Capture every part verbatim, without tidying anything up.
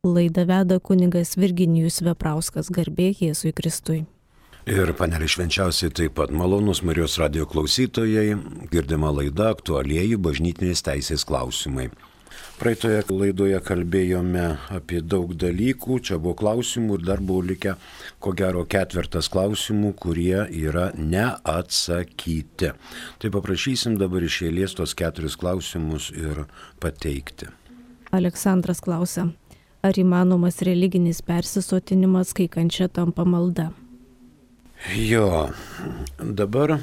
Laidą veda kunigas Virginijus Veprauskas, garbė Jėzui Kristui. Ir panelė švenčiausiai taip pat malonus Marijos radijo klausytojai, girdima laida aktualieji bažnytinės teisės klausimai. Praeitoje laidoje kalbėjome apie daug dalykų, čia buvo klausimų ir dar buvo likę ko gero ketvertas klausimų, kurie yra neatsakyti. Tai paprašysim dabar iš eilės tos keturis klausimus ir pateikti. Aleksandras klausia, ar įmanomas religinis persisotinimas, kai kančia tampa malda? Jo, dabar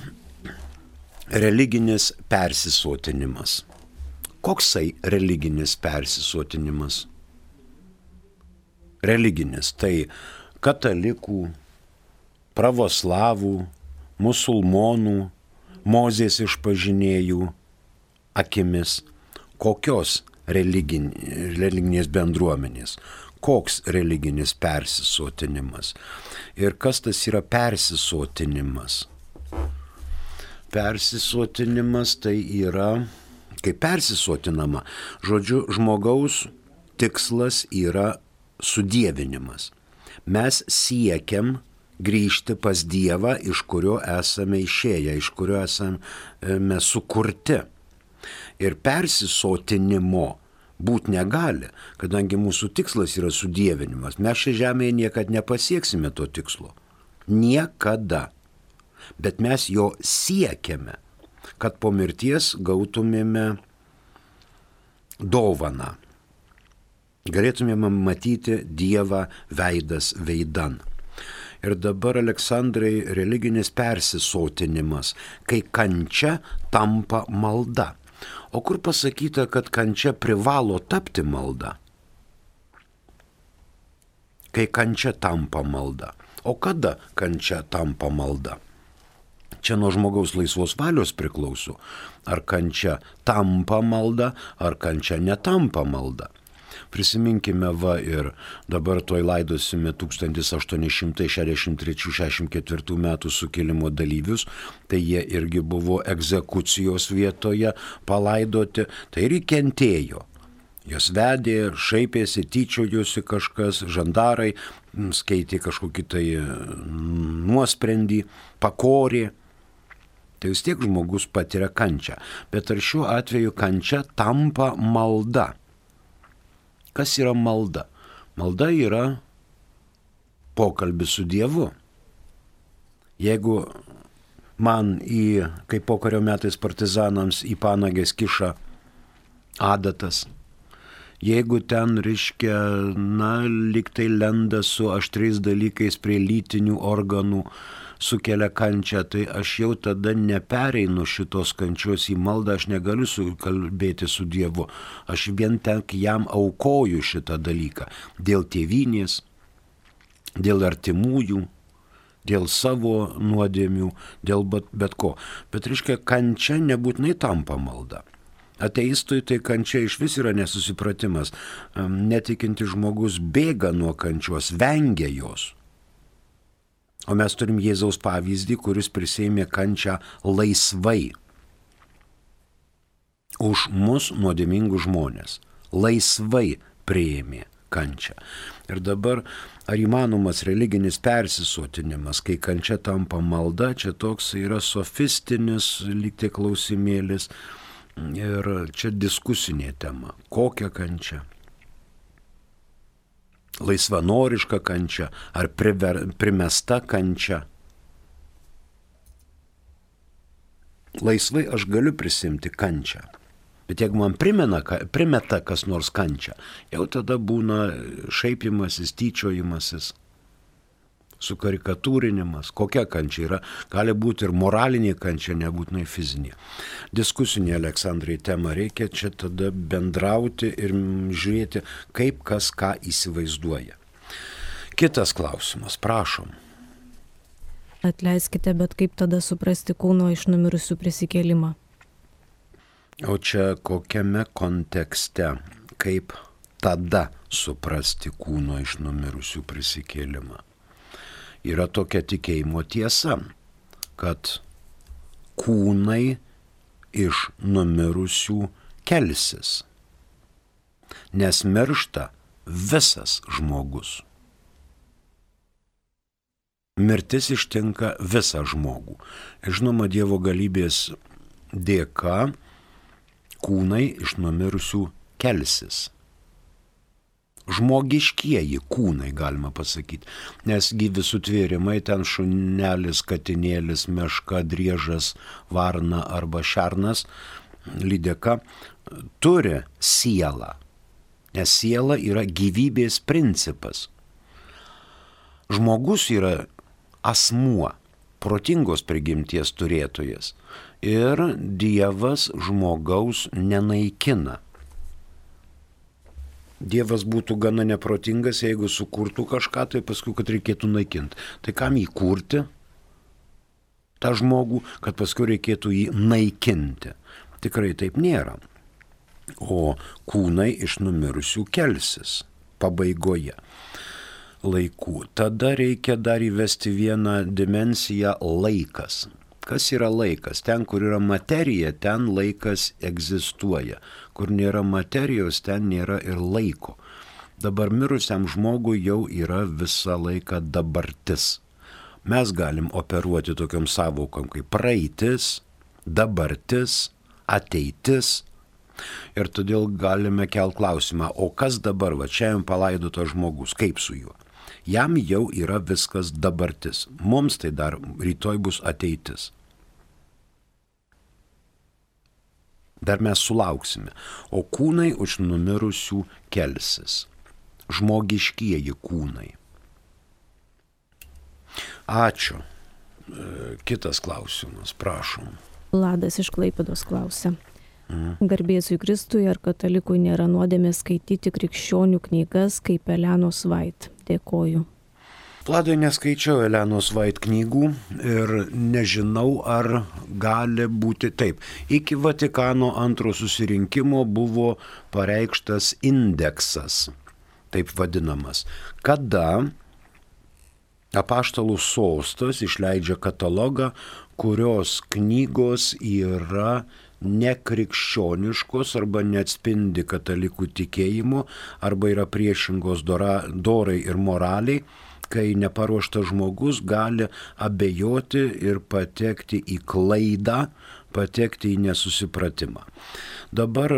religinis persisotinimas. Koksai religinis persisotinimas? Religinis, tai katalikų, pravoslavų, musulmonų, Mozės išpažinėjų akimis. Kokios religinės bendruomenės? Koks religinis persisotinimas? Ir kas tas yra persisotinimas? Persisotinimas tai yra, kaip persisotinama, žodžiu, žmogaus tikslas yra sudievinimas. Mes siekiam grįžti pas Dievą, iš kurio esame išėję, iš kurio esame sukurti. Ir persisotinimo būt negali, kadangi mūsų tikslas yra sudievinimas. Mes šią žemėje niekada nepasieksime to tikslo. Niekada. Bet mes jo siekiame, kad po mirties gautumėme dovaną. Galėtumėme matyti Dievą veidas veidan. Ir dabar, Aleksandrai, religinis persisotinimas, kai kančia tampa malda. O kur pasakyta, kad kančia privalo tapti malda? Kai kančia tampa malda. O kada kančia tampa malda? Čia nuo žmogaus laisvos valios priklauso. Ar kančia tampa malda, ar kančia netampa malda. Prisiminkime va ir dabar toj laidosime tūkstantis aštuoni šimtai šešiasdešimt trečių šešiasdešimt ketvirtų metų sukilimo dalyvius, tai jie irgi buvo egzekucijos vietoje palaidoti, tai ir kentėjo. Jos vedė, šaipėsi, tyčiojosi kažkas, žandarai, skaitė kažkokį tai nuosprendį, pakorė. Tai vis tiek žmogus patiria kančią. Bet ar šiuo atveju kančia tampa malda? Kas yra malda? Malda yra pokalbis su Dievu. Jeigu man į, kaip pokario metais partizanams, į panagės kiša adatas, jeigu ten, reiškia, na, lyg tai lenda su aštriais dalykais prie lytinių organų, sukelia kančią, tai aš jau tada nepereinu šitos kančios į maldą, aš negaliu kalbėti su Dievu. Aš vien tik jam aukoju šitą dalyką. Dėl tėvynės, dėl artimųjų, dėl savo nuodėmių, dėl bet, bet ko. Bet, reiškia, kančia nebūtinai tampa malda. Ateistui tai kančia iš vis yra nesusipratimas. Netikinti žmogus bėga nuo kančios, vengia jos. O mes turim Jėzaus pavyzdį, kuris prisėmė kančią laisvai. Už mus nuodėmingus žmonės. Laisvai priėmė kančią. Ir dabar, ar įmanomas religinis persisotinimas, kai kančia tampa malda, čia toks yra sofistinis lyg tai klausimėlis. Ir čia diskusinė tema. Kokia kančia? Laisvanoriška kančia ar priver, primesta kančia. Laisvai aš galiu prisimti kančią, bet jeigu man primena, primeta kas nors kančią, jau tada būna šaipimasis, tyčiojimasis, sukarikatūrinimas. Kokia kančia yra? Gali būti ir moralinė kančia, nebūtinai fizinė. Diskusinė, Aleksandrai, tema, reikia čia tada bendrauti ir žiūrėti, kaip kas ką įsivaizduoja. Kitas klausimas, prašom. Atleiskite, bet kaip tada suprasti kūno iš numirusių prisikėlimą? O čia kokiame kontekste, kaip tada suprasti kūno iš numirusių prisikėlimą? Yra tokia tikėjimo tiesa, kad kūnai iš numirusių kelsis, nes miršta visas žmogus. Mirtis ištinka visą žmogų. Žinoma, Dievo galybės dėka kūnai iš numirusių kelsis. Žmogiškieji kūnai, galima pasakyti, nes gyvi sutvėrimai, ten šunelis, katinėlis, meška, driežas, varna arba šernas, lydeka, turi sielą, nes siela yra gyvybės principas. Žmogus yra asmuo, protingos prigimties turėtojas ir Dievas žmogaus nenaikina. Dievas būtų gana neprotingas, jeigu sukurtų kažką, tai paskui, kad reikėtų naikinti. Tai kam jį kurti, tą žmogų, kad paskui reikėtų jį naikinti? Tikrai taip nėra. O kūnai iš numirusių kelsis pabaigoje laikų. Tada reikia dar įvesti vieną dimensiją – laikas. Kas yra laikas? Ten, kur yra materija, ten laikas egzistuoja. Kur nėra materijos, ten nėra ir laiko. Dabar mirusiam žmogui jau yra visą laiką dabartis. Mes galim operuoti tokiom savokom kaip praeitis, dabartis, ateitis. Ir todėl galime kelt klausimą, o kas dabar, va čia jam palaidotas žmogus, kaip su juo? Jam jau yra viskas dabartis. Mums tai dar rytoj bus ateitis. Dar mes sulauksime. O kūnai už numirusių kelsis. Žmogiškieji kūnai. Ačiū. Kitas klausimas, prašom. Vladas iš Klaipėdos klausia. Mm. Garbėsui Kristui, ar katalikui nėra nuodėmė skaityti krikščionių knygas kaip Elenos Vait? Dėkoju. Vladai, neskaičiau Elenos Vait knygų ir nežinau, ar gali būti taip. Iki Vatikano antro susirinkimo buvo pareikštas indeksas, taip vadinamas, kada Apaštalų sostas išleidžia katalogą, kurios knygos yra nekrikščioniškos arba neatspindi katalikų tikėjimo arba yra priešingos dora, dorai ir moraliai, kai neparuoštas žmogus gali abejoti ir patekti į klaidą, patekti į nesusipratimą. Dabar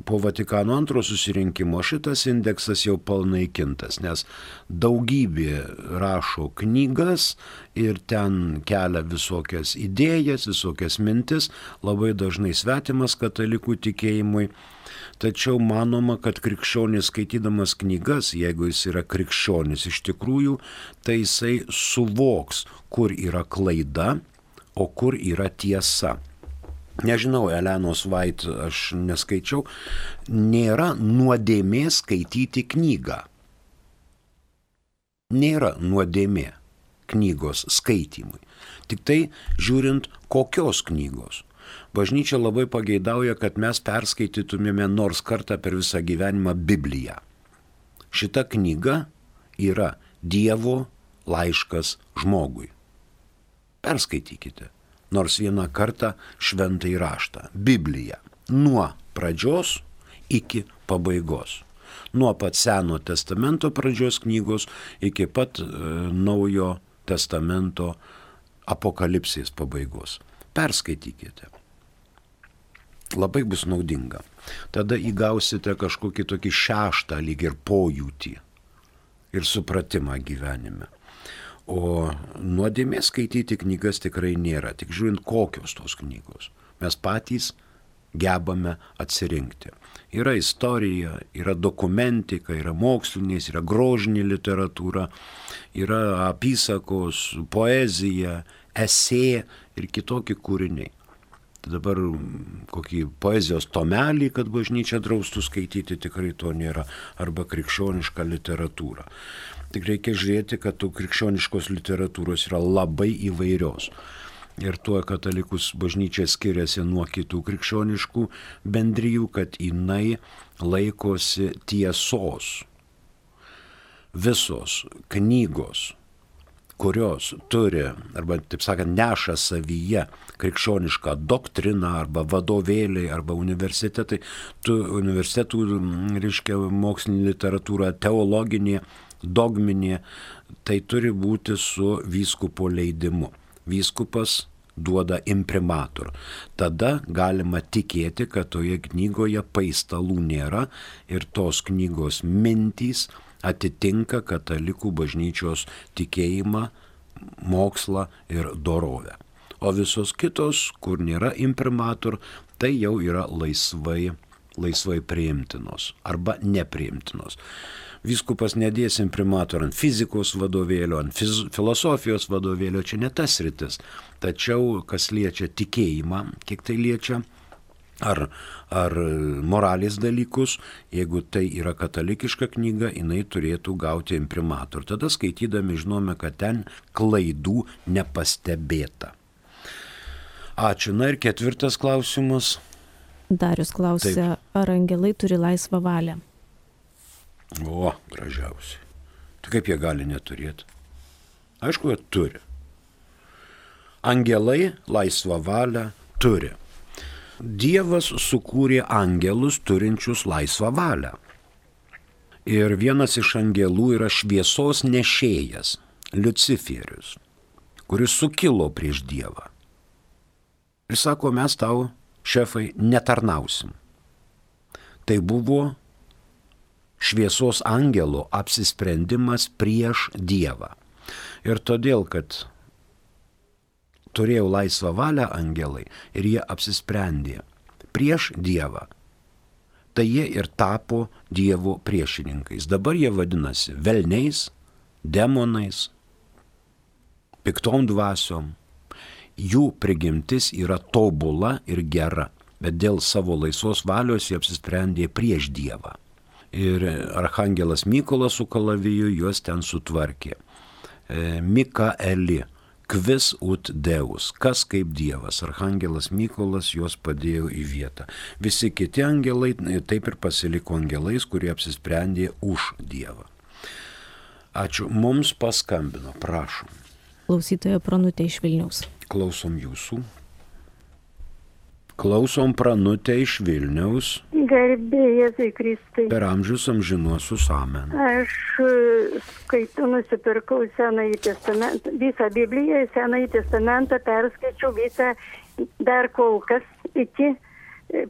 po Vatikano antro susirinkimo šitas indeksas jau panaikintas, nes daugybė rašo knygas ir ten kelia visokias idėjas, visokias mintis, labai dažnai svetimas katalikų tikėjimui. Tačiau manoma, kad krikščionis skaitydamas knygas, jeigu jis yra krikščionis iš tikrųjų, tai jisai suvoks, kur yra klaida, o kur yra tiesa. Nežinau, Elenos Vait aš neskaičiau, nėra nuodėmė skaityti knygą. Nėra nuodėmė knygos skaitymui. Tik tai žiūrint, kokios knygos. Bažnyčia labai pageidauja, kad mes perskaitytumėme nors kartą per visą gyvenimą Bibliją. Šita knyga yra Dievo laiškas žmogui. Perskaitykite. Nors vieną kartą šventąjį raštą, Bibliją, nuo pradžios iki pabaigos. Nuo pat Seno testamento pradžios knygos iki pat e, Naujo testamento apokalipsės pabaigos. Perskaitykite. Labai bus naudinga. Tada įgausite kažkokį tokį šeštą lyg ir pojūtį ir supratimą gyvenime. O nuodėmė skaityti knygas tikrai nėra, tik žiūrint kokios tos knygos. Mes patys gebame atsirinkti. Yra istorija, yra dokumentika, yra mokslinės, yra grožinė literatūra, yra apysakos, poezija, esė ir kitokie kūriniai. Dabar kokį poezijos tomelį, kad bažnyčia draustų skaityti, tikrai to nėra, arba krikščionišką literatūrą. Tik reikia žiūrėti, kad tų krikščioniškos literatūros yra labai įvairios. Ir tuo katalikus bažnyčia skiriasi nuo kitų krikščioniškų bendrijų, kad jinai laikosi tiesos. Visos knygos, kurios turi, arba, taip sakant, neša savyje krikščionišką doktriną, arba vadovėliai, arba universitetai, tu, universitetų, reiškia, mokslinė literatūra, teologinė, dogminė, tai turi būti su vyskupo leidimu. Vyskupas duoda imprimatur. Tada galima tikėti, kad toje knygoje paistalų nėra ir tos knygos mintys atitinka katalikų bažnyčios tikėjimą, mokslą ir dorovę. O visos kitos, kur nėra imprimatur, tai jau yra laisvai, laisvai priimtinos arba nepriimtinos. Vyskupas nedės imprimatur ant fizikos vadovėlio, ant fiz, filosofijos vadovėlio, čia ne tas rytis. Tačiau, kas liečia tikėjimą, kiek tai liečia, ar, ar moralės dalykus, jeigu tai yra katalikiška knyga, jinai turėtų gauti imprimatur. Tada skaitydami žinome, kad ten klaidų nepastebėta. Ačiū. Na ir ketvirtas klausimas. Darius klausia, Taip. Ar angelai turi laisvą valią? O, gražiausiai. Tai kaip jie gali neturėti? Aišku, jie turi. Angelai laisvą valią turi. Dievas sukūrė angelus turinčius laisvą valią. Ir vienas iš angelų yra šviesos nešėjas, Liuciferius, kuris sukilo prieš Dievą. Ir sako, mes tau, šefai, netarnausim. Tai buvo šviesos angelo apsisprendimas prieš Dievą. Ir todėl, kad turėjo laisvą valią angelai ir jie apsisprendė prieš Dievą, tai jie ir tapo Dievo priešininkais. Dabar jie vadinasi velniais, demonais, piktom dvasiom. Jų prigimtis yra tobula ir gera, bet dėl savo laisvos valios jie apsisprendė prieš Dievą. Ir archangelas Mykolas su kalaviju juos ten sutvarkė. E, Mikaeli, kvis ut Deus, kas kaip Dievas. Archangelas Mykolas juos padėjo į vietą. Visi kiti angelai taip ir pasiliko angelais, kurie apsisprendė už Dievą. Ačiū. Mums paskambino, prašom. Klausytoja Pranutė iš Vilniaus. Klausom jūsų. Klausom Pranutę iš Vilniaus. Garbė Jėzui Kristui. Per amžius amžinuosius amen. Aš skaitu, nusipirkau Senąjį testamentą, visą Bibliją, Senąjį testamentą, perskaičiau visą, dar kol kas iki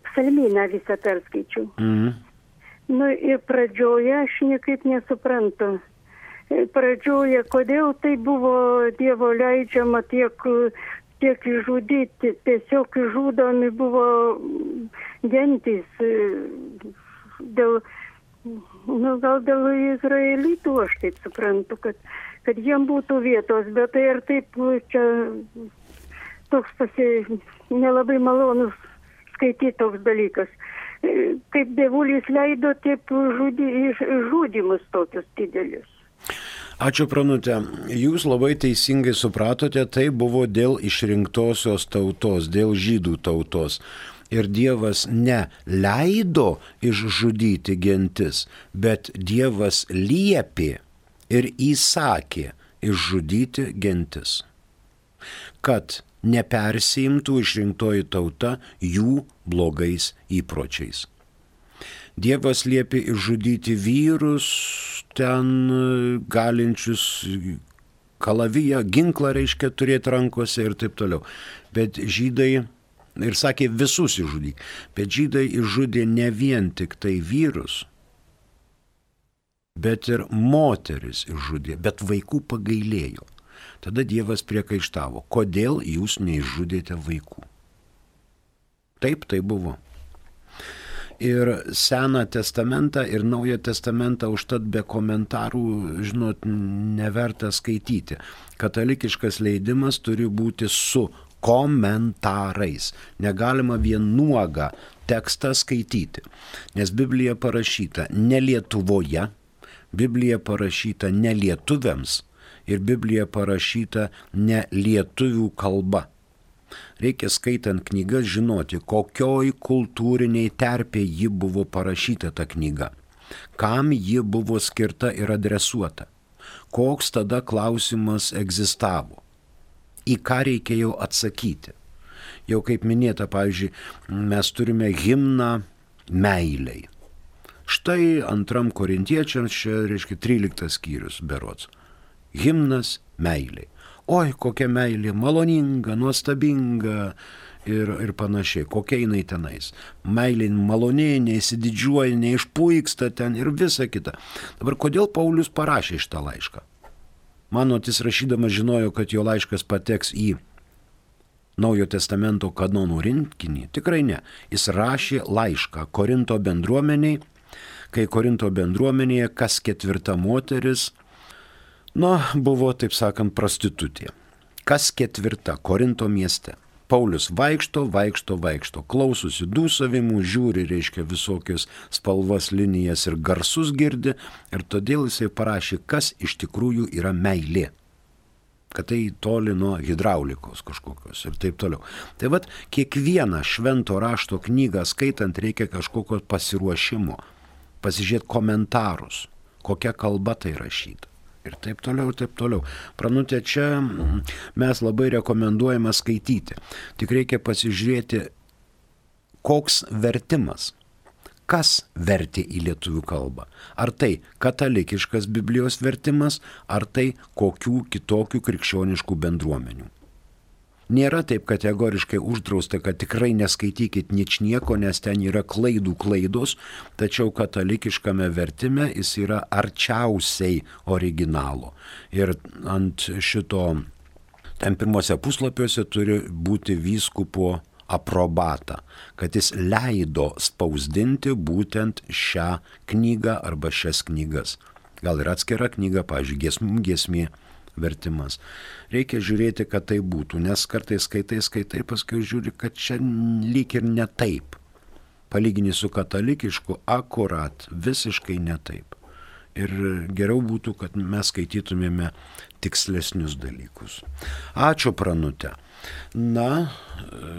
psalmyną visą perskaičiau. Mm. Nu ir pradžioje aš niekaip nesuprantu. Pradžioje, kodėl tai buvo Dievo leidžiama tiek... tiek išžudyti, tiesiog žudomi buvo gentys dėl, nu, gal dėl izraelitų, aš taip suprantu, kad, kad jiem būtų vietos, bet tai ir taip čia toks pasi, nelabai malonus skaityti toks dalykas. Kaip dievulis leido, taip žudi, žudimus tokius didelius. Ačiū, Pranutė. Jūs labai teisingai supratote, tai buvo dėl išrinktosios tautos, dėl žydų tautos. Ir Dievas ne leido išžudyti gentis, bet Dievas liepė ir įsakė išžudyti gentis, kad nepersiimtų išrinktoji tauta jų blogais įpročiais. Dievas liepė išžudyti vyrus, ten galinčius kalaviją, ginklą reiškia turėti rankose ir taip toliau. Bet žydai, ir sakė visus išžudyk, bet žydai išžudė ne vien tik tai vyrus, bet ir moteris išžudė, bet vaikų pagailėjo. Tada Dievas priekaištavo, kodėl jūs neišžudėte vaikų. Taip, tai buvo. Ir Seną testamentą ir Naują testamentą užtat be komentarų, žinot, neverta skaityti. Katalikiškas leidimas turi būti su komentarais. Negalima vien nuogą tekstą skaityti, nes Biblija parašyta ne Lietuvoje, Biblija parašyta ne lietuviams ir Biblija parašyta ne lietuvių kalba. Reikia skaitant knygas žinoti, kokioj kultūriniai terpė ji buvo parašyta ta knyga, kam ji buvo skirta ir adresuota, koks tada klausimas egzistavo, į ką reikėjo atsakyti. Jau kaip minėta, pavyzdžiui, mes turime himną meiliai. Štai antram korintiečiams, čia reiškia tryliktas skyrius berods. Himnas meiliai. Oi, kokia meilė, maloninga, nuostabinga ir, ir panašiai. Kokia jinai tenais. Meilė malonė, neįsididžiuoja, neišpuiksta ten ir visa kita. Dabar kodėl Paulius parašė šitą laišką? Manot, jis rašydamas žinojo, kad jo laiškas pateks į Naujojo testamento kanonų rinkinį? Tikrai ne. Jis rašė laišką Korinto bendruomeniai, kai Korinto bendruomenėje kas ketvirta moteris, nu, buvo, taip sakant, prostitutė. Kas ketvirta Korinto mieste. Paulius vaikšto, vaikšto, vaikšto, klausosi dūsavimų, žiūri, reiškia, visokius spalvas, linijas ir garsus girdi, ir todėl jisai parašė, kas iš tikrųjų yra meilė. Kad tai toli nuo hidraulikos kažkokios ir taip toliau. Tai vat, kiekvieną švento rašto knygą skaitant reikia kažkokio pasiruošimo, pasižiūrėti komentarus, kokia kalba tai rašyta. Ir taip toliau, ir taip toliau. Pranutė, čia mes labai rekomenduojame skaityti. Tik reikia pasižiūrėti, koks vertimas, kas vertė į lietuvių kalbą. Ar tai katalikiškas Biblijos vertimas, ar tai kokių kitokių krikščioniškų bendruomenių. Nėra taip kategoriškai uždrausta, kad tikrai neskaitykit ničnieko, nes ten yra klaidų klaidos, tačiau katalikiškame vertime jis yra arčiausiai originalo. Ir ant šito, ten pirmose puslapiuose turi būti vyskupo aprobata, kad jis leido spausdinti būtent šią knygą arba šias knygas. Gal ir atskira knyga, pavyzdžiui, giesmų giesmė vertimas. Reikia žiūrėti, kad tai būtų, nes kartais skaitai, skaitai, paskui žiūri, kad čia lyg ir ne taip. Palyginti su katalikišku, akurat, visiškai ne taip. Ir geriau būtų, kad mes skaitytumėme tikslesnius dalykus. Ačiū, Pranutė. Na,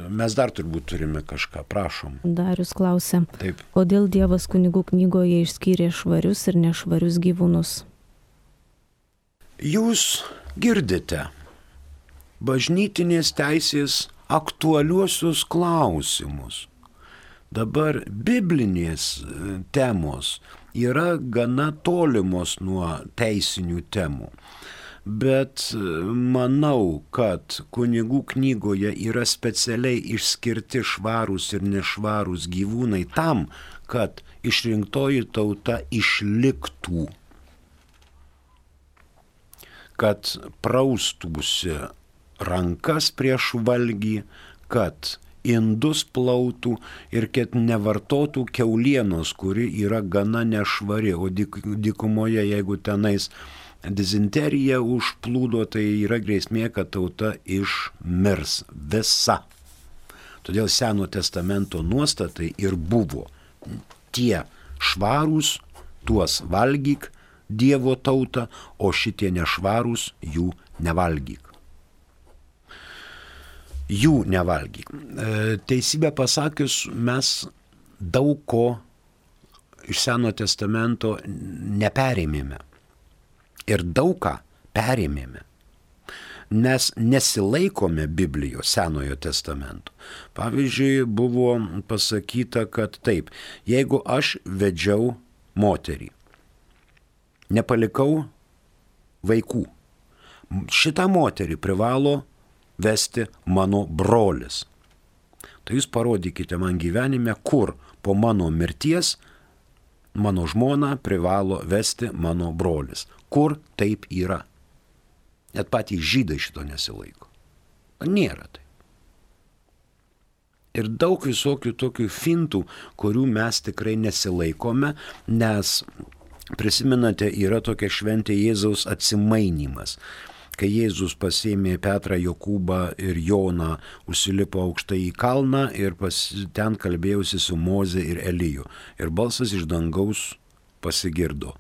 mes dar turbūt turime kažką, prašom. Darius klausia, Taip. Kodėl Dievas kunigų knygoje išskyrė švarius ir nešvarius gyvūnus? Jūs girdite bažnytinės teisės aktualiuosius klausimus. Dabar biblinės temos yra gana tolimos nuo teisinių temų. Bet manau, kad kunigų knygoje yra specialiai išskirti švarūs ir nešvarūs gyvūnai tam, kad išrinktoji tauta išliktų, kad praustųsi rankas prieš valgį, kad indus plautų ir kad nevartotų kiaulienos, kuri yra gana nešvari, o dykumoje, jeigu tenais dizenterija užplūdo, tai yra grėsmė, kad tauta išmirs visa. Todėl Seno testamento nuostatai ir buvo tie švarūs, tuos valgyk Dievo tautą, o šitie nešvarūs jų nevalgyk. Jų nevalgyk. Teisybę pasakius, mes daug ko iš Seno testamento neperėmėme. Ir daug ką perėmėme, nes nesilaikome Biblijos Senojo testamento. Pavyzdžiui, buvo pasakyta, kad taip, jeigu aš vedžiau moterį, nepalikau vaikų, šitą moterį privalo vesti mano brolis. Tai jūs parodykite man gyvenime, kur po mano mirties mano žmona privalo vesti mano brolis. Kur taip yra? Net patys žydai šito nesilaiko. Nėra tai. Ir daug visokių tokių fintų, kurių mes tikrai nesilaikome, nes, prisimenate, yra tokia šventė Jėzaus atsimainimas. Kai Jėzus pasėmė Petrą, Jokūbą ir Joną, užsilipo aukštai į kalną ir pas, ten kalbėjusi su Moze ir Eliju. Ir balsas iš dangaus pasigirdo.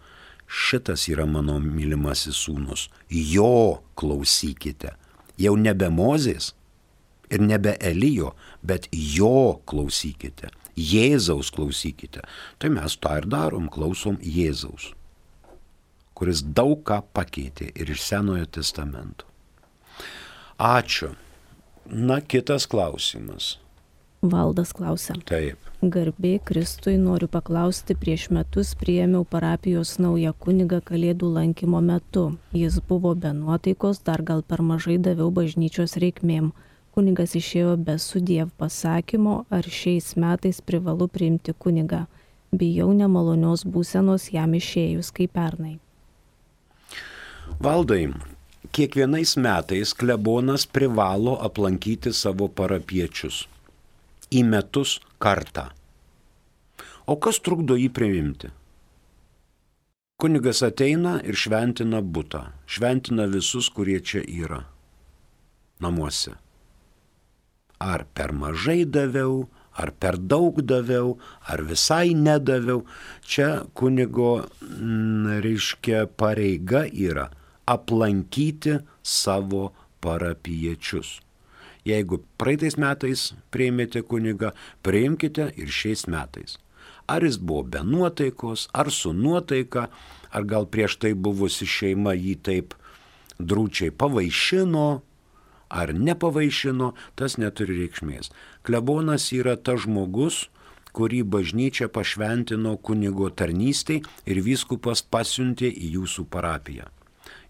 Šitas yra mano mylimasis sūnus. Jo klausykite. Jau nebe Mozės ir nebe Elijo, bet jo klausykite. Jėzaus klausykite. Tai mes tą ir darom, klausom Jėzaus. kuris daug ką pakeitė ir iš Senojo testamento. Ačiū. Na, kitas klausimas. Valdas klausia. Taip. Garbė Kristui, noriu paklausti, prieš metus priėmiau parapijos naują kunigą Kalėdų lankymo metu. Jis buvo be nuotaikos, dar gal per mažai daviau bažnyčios reikmėm. Kunigas išėjo be sudiev pasakymo, ar šiais metais privalu priimti kunigą. Bijau nemalonios būsenos jam išėjus kaip pernai. Valdai, kiekvienais metais klebonas privalo aplankyti savo parapiečius. Į metus kartą. O kas trukdo jį priimti? Kunigas ateina ir šventina butą, šventina visus, kurie čia yra namuose. Ar per mažai daviau, ar per daug daviau, ar visai nedaviau. Čia kunigo, m, reiškia, pareiga yra aplankyti savo parapiečius. Jeigu praeitais metais priėmėte kunigą, priimkite ir šiais metais. Ar jis buvo be nuotaikos, ar su nuotaika, ar gal prieš tai buvusi šeima jį taip drūčiai pavaišino, ar nepavaišino, tas neturi reikšmės. Klebonas yra tas žmogus, kurį bažnyčia pašventino kunigo tarnystei ir vyskupas pasiuntė į jūsų parapiją.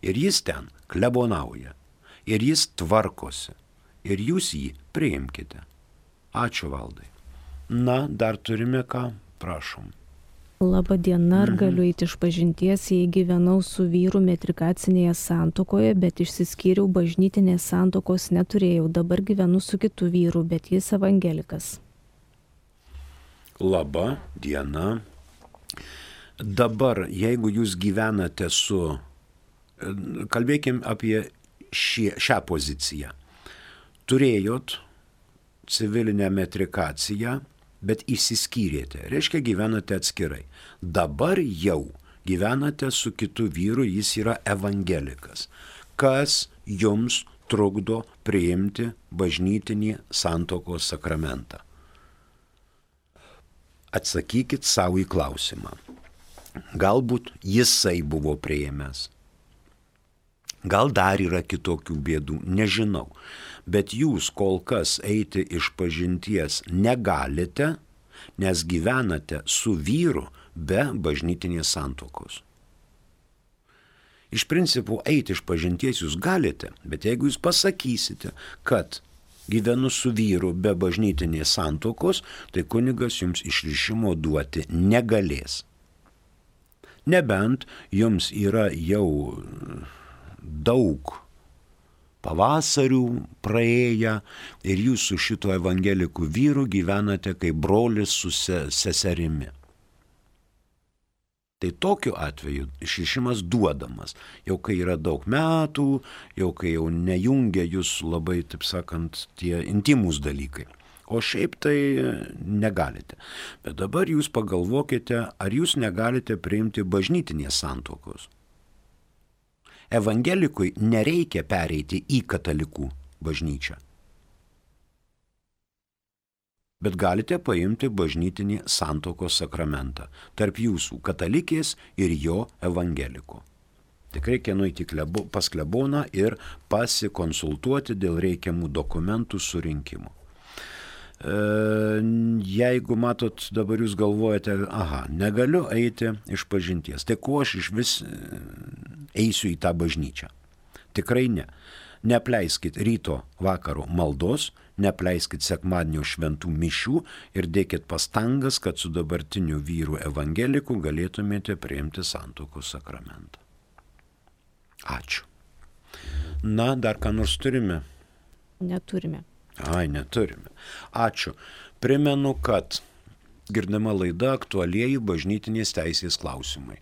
Ir jis ten klebonauja, ir jis tvarkosi. Ir jūs jį priimkite. Ačiū, Valdai. Na, dar turime ką? Prašom. Labą dieną, ar galiu eiti iš pažinties, jei gyvenau su vyru metrikacinėje santuokoje, bet išsiskyriau, bažnytinės santuokos neturėjau. Dabar gyvenu su kitu vyru, bet jis evangelikas. Labą dieną. Dabar, jeigu jūs gyvenate su... Kalbėkim apie šie, šią poziciją. Turėjot civilinę metrikaciją, bet išsiskyrėte, reiškia gyvenate atskirai. Dabar jau gyvenate su kitu vyru, jis yra evangelikas. Kas jums trukdo priimti bažnytinį santuokos sakramentą? Atsakykit savo į klausimą. Galbūt jisai buvo priėmęs. Gal dar yra kitokių bėdų, nežinau. Bet jūs kol kas eiti iš pažinties negalite, nes gyvenate su vyru be bažnytinės santuokos. Iš principo eiti iš pažinties jūs galite, bet jeigu jūs pasakysite, kad gyvenu su vyru be bažnytinės santuokos, tai kunigas jums išrišimo duoti negalės. Nebent jums yra jau daug pavasarių praėję ir jūs su šito evangelikų vyru gyvenate kaip brolis su seserimi. Tai tokiu atveju išrišimas duodamas, jau kai yra daug metų, jau kai jau nejungia jūs labai, taip sakant, tie intimus dalykai. O šiaip tai negalite. Bet dabar jūs pagalvokite, ar jūs negalite priimti bažnytinės santuokos. Evangelikui nereikia pereiti į katalikų bažnyčią. Bet galite paimti bažnytinį santuokos sakramentą tarp jūsų katalikės ir jo evangeliko. Tik reikia nueiti pas kleboną ir pasikonsultuoti dėl reikiamų dokumentų surinkimo. Jeigu matot, dabar jūs galvojate, aha, negaliu eiti iš pažinties, tai kuo aš iš vis eisiu į tą bažnyčią? Tikrai ne. Neapleiskit ryto vakaro maldos, neapleiskit sekmadienio šventų mišių ir dėkit pastangas, kad su dabartiniu vyru evangeliku galėtumėte priimti santuokos sakramentą. Ačiū. Na, dar ką nors turime? Neturime. Ai, neturime. Ačiū. Primenu, kad girdama laida aktualieji bažnytinės teisės klausimai.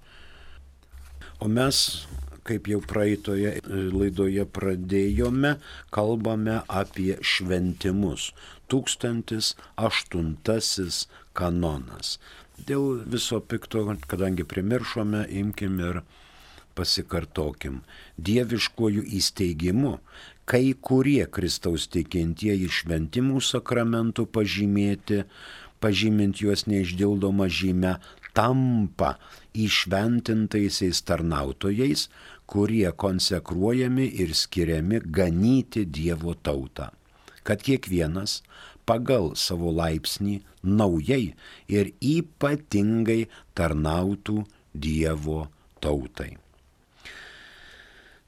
O mes, kaip jau praeitoje laidoje pradėjome, kalbame apie šventimus. Tūkstantis aštuntasis kanonas. Dėl viso pikto, kadangi primiršome, imkim ir pasikartokim. Dieviškojų įsteigimu kai kurie Kristaus tikintieji šventimų sakramentų pažymėti, pažymint juos neišdildomą žymę, tampa įšventintaisiais tarnautojais, kurie konsekruojami ir skiriami ganyti Dievo tautą, kad kiekvienas pagal savo laipsnį naujai ir ypatingai tarnautų Dievo tautai.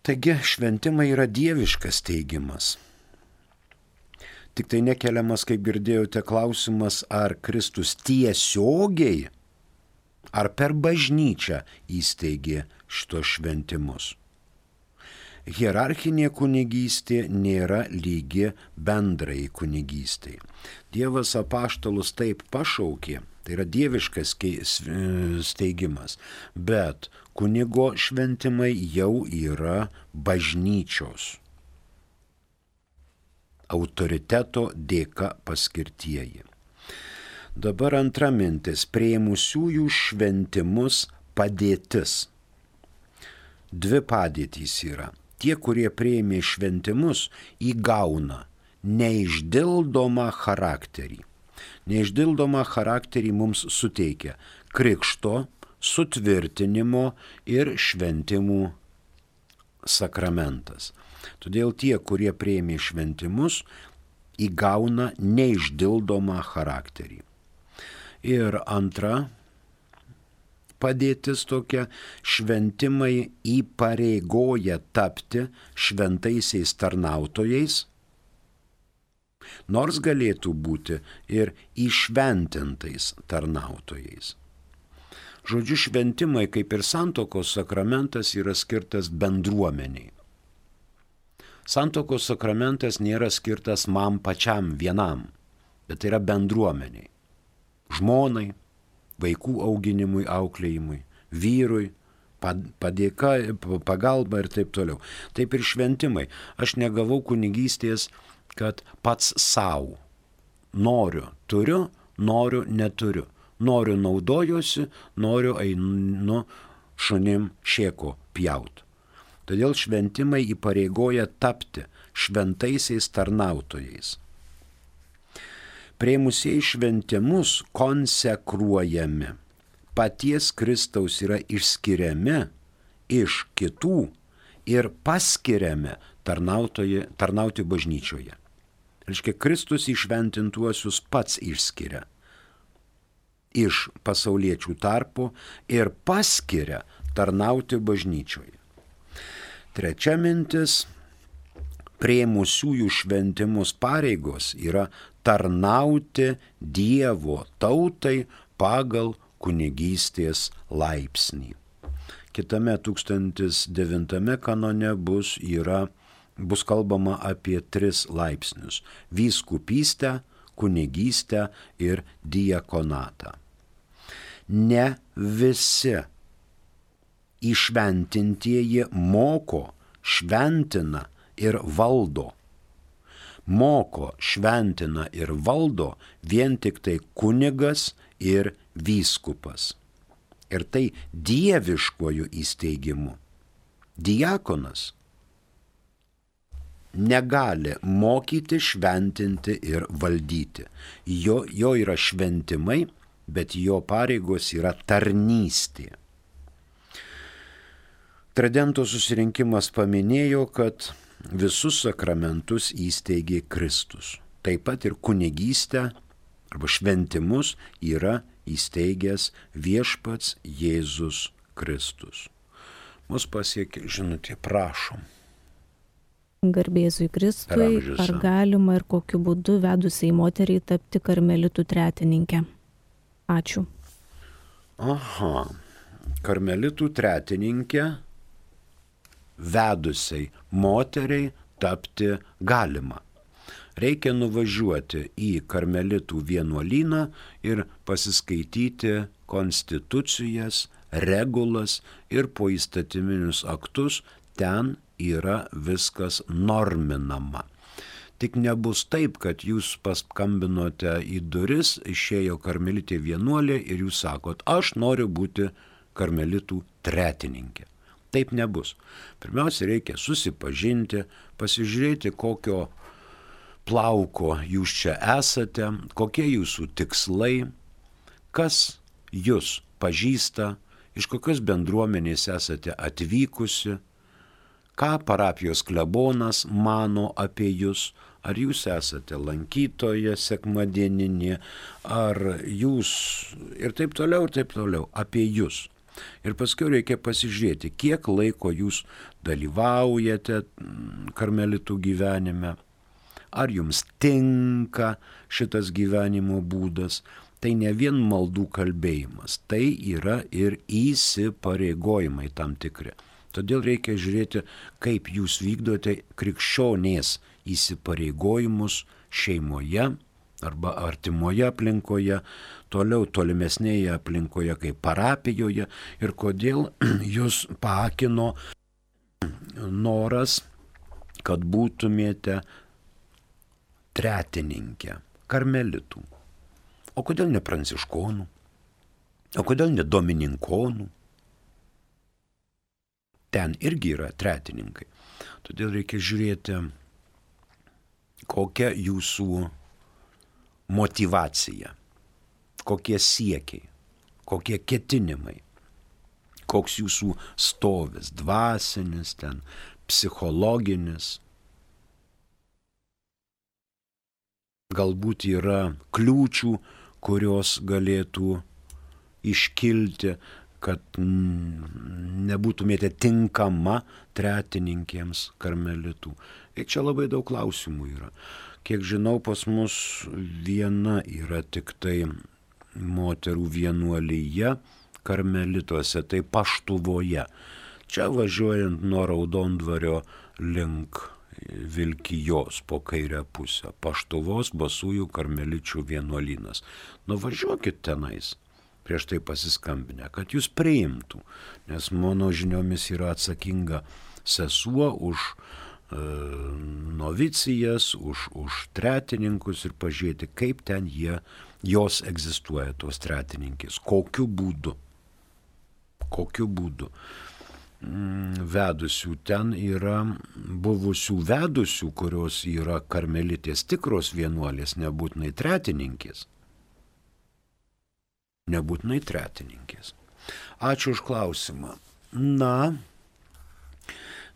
Taigi šventimai yra dieviškas teigimas. Tik tai nekeliamas, kaip girdėjote, klausimas, ar Kristus tiesiogiai ar per bažnyčią įsteigė šitos šventimus. Hierarchinė kunigystė nėra lygi bendrai kunigystei. Dievas apaštalus taip pašaukė, tai yra dieviškas steigimas, bet kunigo šventimai jau yra bažnyčios autoriteto dėka paskirtieji. Dabar antra mintis – priėmusiųjų šventimus padėtis. Dvi padėtys yra. Tie, kurie priėmė šventimus, įgauna neišdildomą charakterį. Neišdildomą charakterį mums suteikia krikšto, sutvirtinimo ir šventimų sakramentas. Todėl tie, kurie priėmė šventimus, įgauna neišdildomą charakterį. Ir antra padėtis tokia, šventimai įpareigoja tapti šventaisiais tarnautojais, nors galėtų būti ir įšventintais tarnautojais. Žodžiu, šventimai, kaip ir santuokos sakramentas, yra skirtas bendruomeniai. Santuokos sakramentas nėra skirtas man pačiam vienam, bet tai yra bendruomeniai. Žmonai, vaikų auginimui, auklėjimui, vyrui, padėka, pagalba ir taip toliau. Taip ir šventimai. Aš negavau kunigystės, kad pats savo. Noriu, turiu, noriu, neturiu. Noriu, naudojuosi, noriu, einu šunim šėko pjaut. Todėl šventimai įpareigoja tapti šventaisiais tarnautojais. Priėmusieji šventimus konsekruojami. Paties Kristaus yra išskiriami iš kitų ir paskiriami tarnauti bažnyčioje. Reiškia, Kristus įšventintuosius pats išskiria iš pasauliečių tarpo ir paskiria tarnauti bažnyčioje. Trečia mintis – priėmusiųjų šventimus pareigos yra tarnauti Dievo tautai pagal kunigystės laipsnį. Kitame tūkstantis devintame kanone bus, yra, bus kalbama apie tris laipsnius – vyskupystę, kunigystę ir diakonatą. Ne visi įšventintieji moko, šventina ir valdo. Moko, šventina ir valdo vien tik tai kunigas ir vyskupas. Ir tai dieviškuoju įsteigimu. Diakonas negali mokyti, šventinti ir valdyti. Jo, jo yra šventimai, bet jo pareigos yra tarnystė. Tridento susirinkimas paminėjo, kad visus sakramentus įsteigė Kristus. Taip pat ir kunigystę arba šventimus yra įsteigęs viešpats Jėzus Kristus. Mus pasiekė žinutė, prašom. Garbėzui Kristui, ar galima ir kokiu būdu vedusiai moteriai tapti karmelitų tretininkę? Ačiū. Aha, karmelitų tretininkę vedusiai moteriai tapti galima. Reikia nuvažiuoti į karmelitų vienuolyną ir pasiskaityti konstitucijas, regulas ir poįstatyminius aktus, ten yra viskas norminama. Tik nebus taip, kad jūs paskambinote į duris, išėjo karmelitė vienuolė ir jūs sakot, aš noriu būti karmelitų tretininkė. Taip nebus. Pirmiausia, reikia susipažinti, pasižiūrėti, kokio plauko jūs čia esate, kokie jūsų tikslai, kas jūs pažįsta, iš kokios bendruomenės esate atvykusi, ką parapijos klebonas mano apie jūs, ar jūs esate lankytoja sekmadieninė, ar jūs ir taip toliau, ir taip toliau, apie jūs. Ir paskui reikia pasižiūrėti, kiek laiko jūs dalyvaujate karmelitų gyvenime, ar jums tinka šitas gyvenimo būdas. Tai ne vien maldų kalbėjimas, tai yra ir įsipareigojimai tam tikri. Todėl reikia žiūrėti, kaip jūs vykdote krikščionės įsipareigojimus šeimoje arba artimoje aplinkoje, toliau tolimesnėje aplinkoje kaip parapijoje ir kodėl jūs paakino noras, kad būtumėte tretininkė, karmelitų. O kodėl ne pranciškonų? O kodėl ne domininkonų? Ten irgi yra tretininkai. Todėl reikia žiūrėti, kokia jūsų motyvacija, kokie siekiai, kokie ketinimai, koks jūsų stovis, dvasinis, ten, psichologinis. Galbūt yra kliūčių, kurios galėtų iškilti, kad nebūtumėte tinkama tretininkėms karmelitų. Ir čia labai daug klausimų yra. Kiek žinau, pas mus viena yra tik tai moterų vienuolyje karmelituose, tai Paštuvoje. Čia važiuojant nuo Raudondvario link Vilkijos po kairę pusę. Paštuvos basųjų karmeličių vienuolynas. Nuvažiuokit tenais, prieš tai pasiskambinę, kad jūs priimtų, nes mano žiniomis yra atsakinga sesuo už e, novicijas, už, už tretininkus ir pažiūrėti, kaip ten jie, jos egzistuoja, tos tretininkės, kokiu būdu, kokiu būdu. Vedusių ten yra buvusių vedusių, kurios yra karmelitės tikros vienuolės, nebūtinai tretininkės. Nebūtinai tretininkės. Ačiū už klausimą. Na,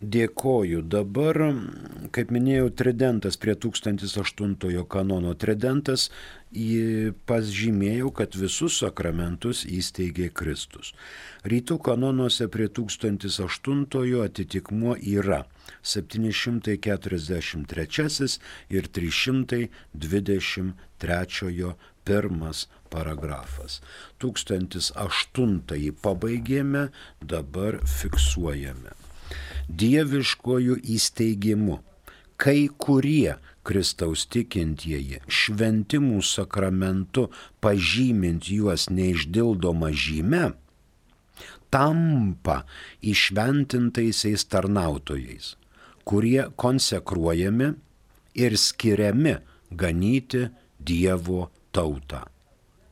dėkoju. Dabar, kaip minėjau, tridentas prie tūkstantis aštuntojo kanono tridentas pažymėjau, kad visus sakramentus įsteigė Kristus. Rytų kanonuose prie tūkstantis aštuntojo atitikmuo yra septyni šimtai keturiasdešimt trečiasis ir trys šimtai dvidešimt trečiojo pirmas paragrafas. Tūkstantis aštuntąjį pabaigėme, dabar fiksuojame. Dieviškojų įsteigimu kai kurie Kristaus tikintieji šventimų sakramentu pažymint juos neišdildoma žyme, tampa įšventintaisiais tarnautojais, kurie konsekruojami ir skiriami ganyti Dievo tautą,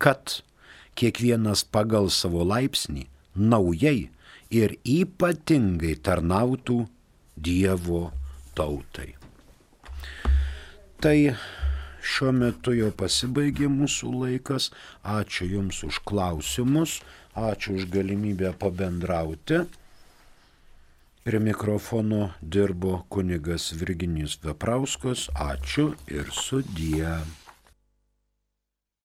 kad kiekvienas pagal savo laipsnį naujai ir ypatingai tarnautų Dievo tautai. Tai šiuo metu jau pasibaigė mūsų laikas. Ačiū Jums už klausimus, ačiū už galimybę pabendrauti. Prie mikrofono dirbo kunigas Virginijus Veprauskas. Ačiū ir sudie.